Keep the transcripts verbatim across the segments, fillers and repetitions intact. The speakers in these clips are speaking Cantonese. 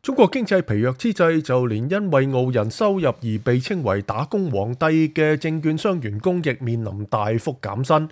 中國經濟疲弱之際，就連因為傲人收入而被稱為打工皇帝嘅證券商員工亦面臨大幅減薪。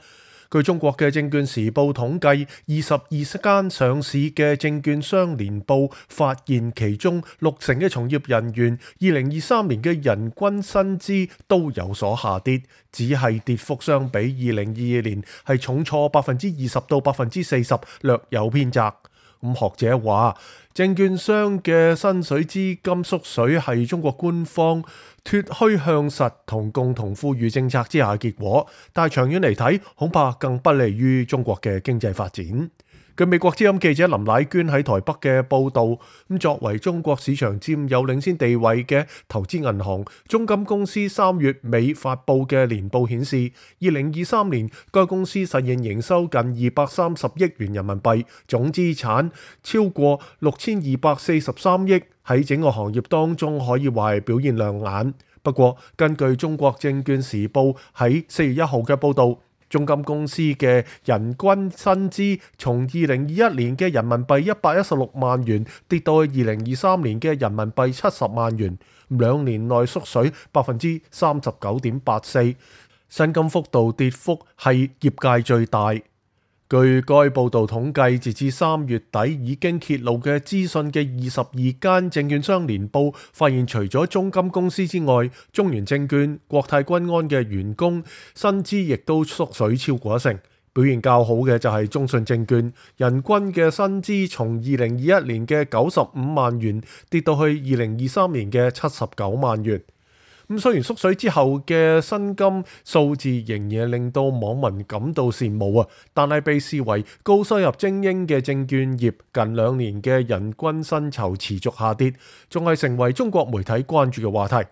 據中國嘅證券時報統計，二十二間上市嘅證券商年報發現，其中六成嘅從業人員二零二三年嘅人均薪資都有所下跌，只係跌幅相比二零二二年係重挫百分之二十到百分之四十，略有偏窄。咁學者話，證券商嘅薪水資金縮水係中國官方脫虛向實同共同富裕政策之下嘅結果，但係長遠嚟睇，恐怕更不利於中國嘅經濟發展。據美國之音記者林乃娟喺台北嘅報導，咁作為中國市場佔有領先地位嘅投資銀行中金公司三月尾發布嘅年報顯示，二零二三年該公司實現營收近二百三十億元人民幣，總資產超過六千二百四十三億，喺整個行業當中可以話係表現亮眼。不過，根據中國證券時報喺四月一號嘅報導，中金公司嘅人均薪資從二零二一年嘅人民幣一百一十六萬元跌到去二零二三年嘅人民幣七十萬元，兩年內縮水百分之三十九點八四，薪金幅度跌幅係業界最大。據該報導統計，截至三月底已經揭露嘅資訊嘅二十二間證券商年報發現，除咗中金公司之外，中原證券、國泰君安嘅員工薪資亦都縮水超過一成。表現較好嘅就係中信證券，人均嘅薪資從二零二一年嘅九十五萬元跌到去二零二三年嘅七十九萬元。咁雖然縮水之後嘅薪金數字仍然令到網民感到羨慕啊，但係被視為高收入精英嘅證券業近兩年嘅人均薪酬持續下跌，仲係成為中國媒體關注嘅話題。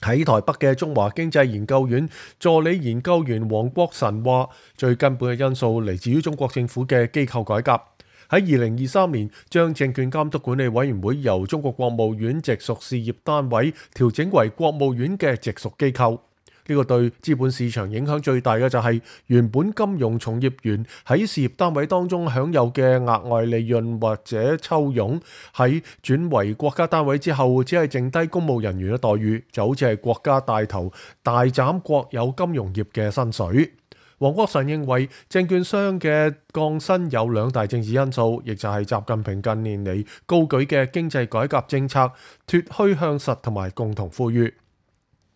喺台北嘅中華經濟研究院助理研究員黃國臣話，最根本嘅因素嚟自於中國政府嘅機構改革。喺二零二三年，將證券監督管理委員會由中國國務院直屬事業單位調整為國務院嘅直屬機構。呢個對資本市場影響最大嘅就係原本金融從業員喺事業單位當中享有嘅額外利潤或者抽佣，喺轉為國家單位之後，只係剩低公務人員嘅待遇，就好似係國家帶頭大斬國有金融業嘅薪水。黃國臣認為，證券商嘅降薪有兩大政治因素，亦就係習近平近年嚟高舉嘅經濟改革政策、脫虛向實同埋共同富裕。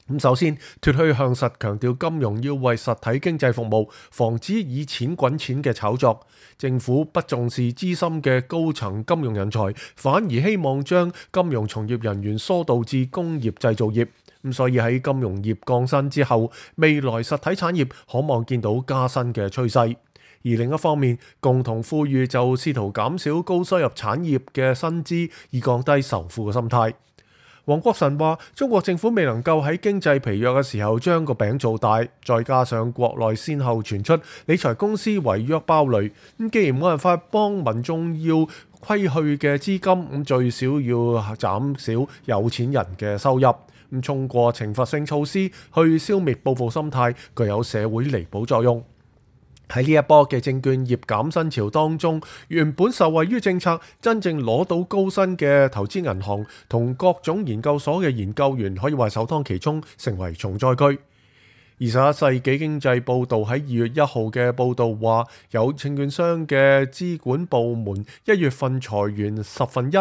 咁首先，脫虛向實強調金融要為實體經濟服務，防止以錢滾錢嘅炒作。政府不重視資深嘅高層金融人才，反而希望將金融從業人員疏導至工業製造業。咁所以喺金融業降薪之後，未來實體產業可望見到加薪嘅趨勢。而另一方面，共同富裕就試圖減少高收入產業嘅薪資，以降低仇富嘅心態。黃國臣話：中國政府未能夠喺經濟疲弱嘅時候將個餅做大，再加上國內先後傳出理財公司違約爆雷，咁既然冇辦法幫民眾要虧去嘅資金，咁最少要減少有錢人嘅收入。咁通過懲罰性措施去消滅報復心態，具有社會彌補作用。喺呢一波嘅證券業減薪潮當中，原本受惠於政策真正攞到高薪嘅投資銀行同各種研究所嘅研究員，可以話首當其衝，成為重災區。二十一世紀經濟報導喺二月一號嘅報導話，有證券商嘅資管部門一月份裁員十分一。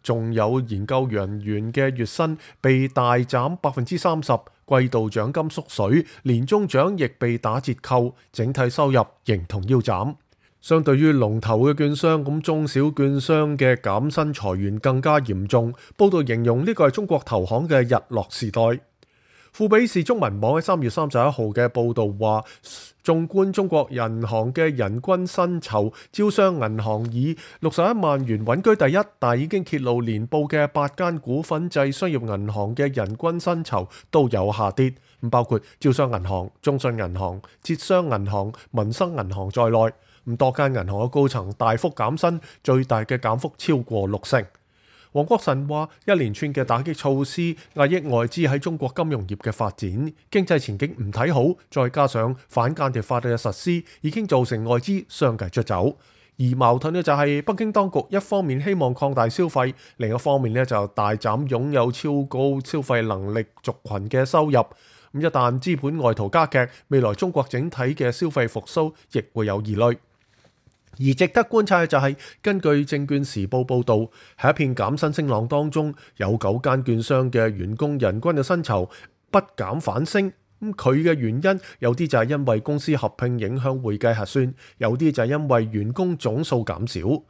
仲有研究人員嘅月薪被大減百分之三十，季度獎金縮水，年終獎亦被打折扣，整體收入形同腰斬。相對於龍頭嘅券商，咁中小券商嘅減薪裁員更加嚴重。報道形容呢個係中國投行嘅日落時代。富比士中文網喺三月三十一號嘅報導話，縱觀中國銀行嘅人均薪酬，招商銀行以六十一萬元穩居第一，但已經揭露年報嘅八間股份制商業銀行嘅人均薪酬都有下跌，包括招商銀行、中信銀行、浙商銀行、民生銀行在內，咁多間銀行嘅高層大幅減薪，最大嘅減幅超過六成。黃國臣話：一連串嘅打擊措施壓抑外資喺中國金融業嘅發展，經濟前景唔睇好，再加上反間諜法嘅實施，已經造成外資相繼出走。而矛盾嘅就係北京當局一方面希望擴大消費，另一方面咧就大斬擁有超高消費能力族群嘅收入。咁一旦資本外逃加劇，未來中國整體嘅消費復甦亦會有疑慮。而值得觀察嘅就係、是，根據證券時報報導，喺一片減薪聲浪當中，有九間券商嘅員工人均嘅薪酬不減反升。咁佢嘅原因有啲就係因為公司合併影響會計核算，有啲就係因為員工總數減少。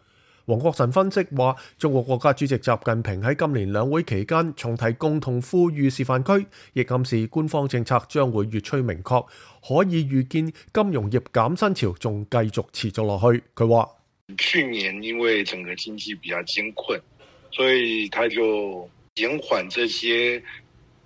黃國臣分析話，中國國家主席習近平喺今年兩會期間重提共同富裕示範區，亦暗示官方政策將會越趨明確，可以預見金融業減薪潮仲繼續持續落去。佢話：去年因為整個經濟比較艱困，所以他就減緩這些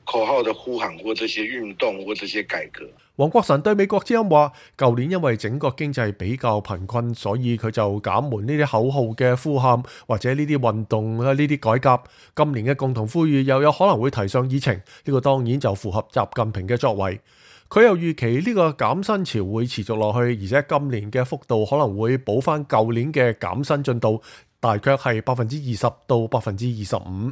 口號的呼喊或這些運動或這些改革。黃國臣對美國之音話：舊年因為整個經濟比較貧困，所以佢就減緩呢啲口號嘅呼喊或者呢啲運動啊，呢啲改革。今年嘅共同富裕又有可能會提上議程，呢、這個當然就符合習近平嘅作為。佢又預期呢個減薪潮會持續落去，而且今年嘅幅度可能會補翻舊年嘅減薪進度，大約係百分之二十到百分之二十五。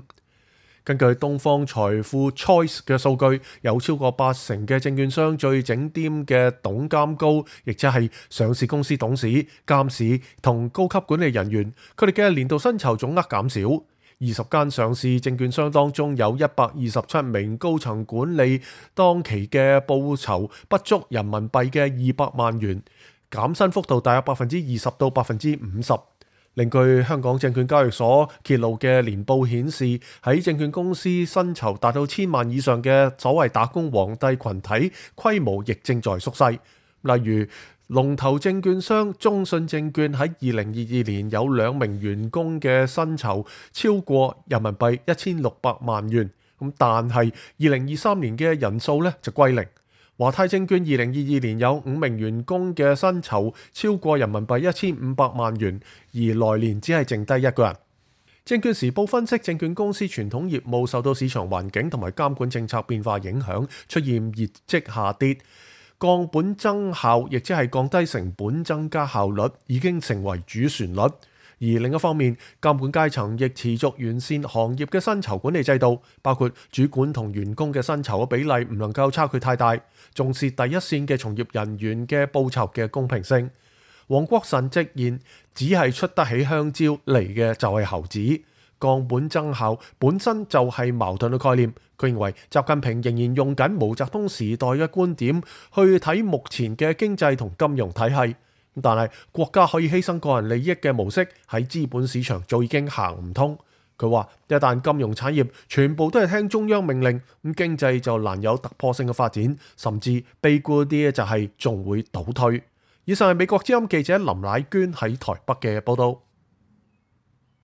根據東方財富 Choice 嘅數據，有超過八成嘅證券商最整掂嘅董監高，亦即係上市公司董事、監事同高級管理人員，佢哋嘅年度薪酬總額減少。二十間上市證券商當中有一百二十七名高層管理當期嘅報酬不足人民幣嘅二百萬元，減薪幅度大約百分之二十到百分之五十。另據香港證券交易所揭露嘅年報顯示，喺證券公司薪酬達到千萬以上嘅所謂打工皇帝群體規模亦正在縮細。例如龍頭證券商中信證券喺二零二二年有兩名員工嘅薪酬超過人民幣一千六百萬元，咁但係二零二三年嘅人數咧就歸零。華泰證券二零二二年有五名員工嘅薪酬超過人民幣一千五百萬元，而來年只係剩低一個人。證券時報分析，證券公司傳統業務受到市場環境同埋監管政策變化影響，出現業績下跌，降本增效，亦即係降低成本、增加效率，已經成為主旋律。而另一方面，監管階層亦持續完善行業嘅薪酬管理制度，包括主管同員工嘅薪酬嘅比例唔能夠差距太大，重視第一線嘅從業人員嘅報酬嘅公平性。黃國臣直言，只係出得起香蕉嚟嘅就係猴子，降本增效本身就係矛盾嘅概念。佢認為習近平仍然用緊毛澤東時代嘅觀點去睇目前嘅經濟同金融體系。但係國家可以犧牲個人利益嘅模式喺資本市場早已經行唔通。佢話一旦金融產業全部都係聽中央命令，咁經濟就難有突破性嘅發展，甚至悲觀啲就係仲會倒退。以上係美國之音記者林乃娟喺台北嘅報道。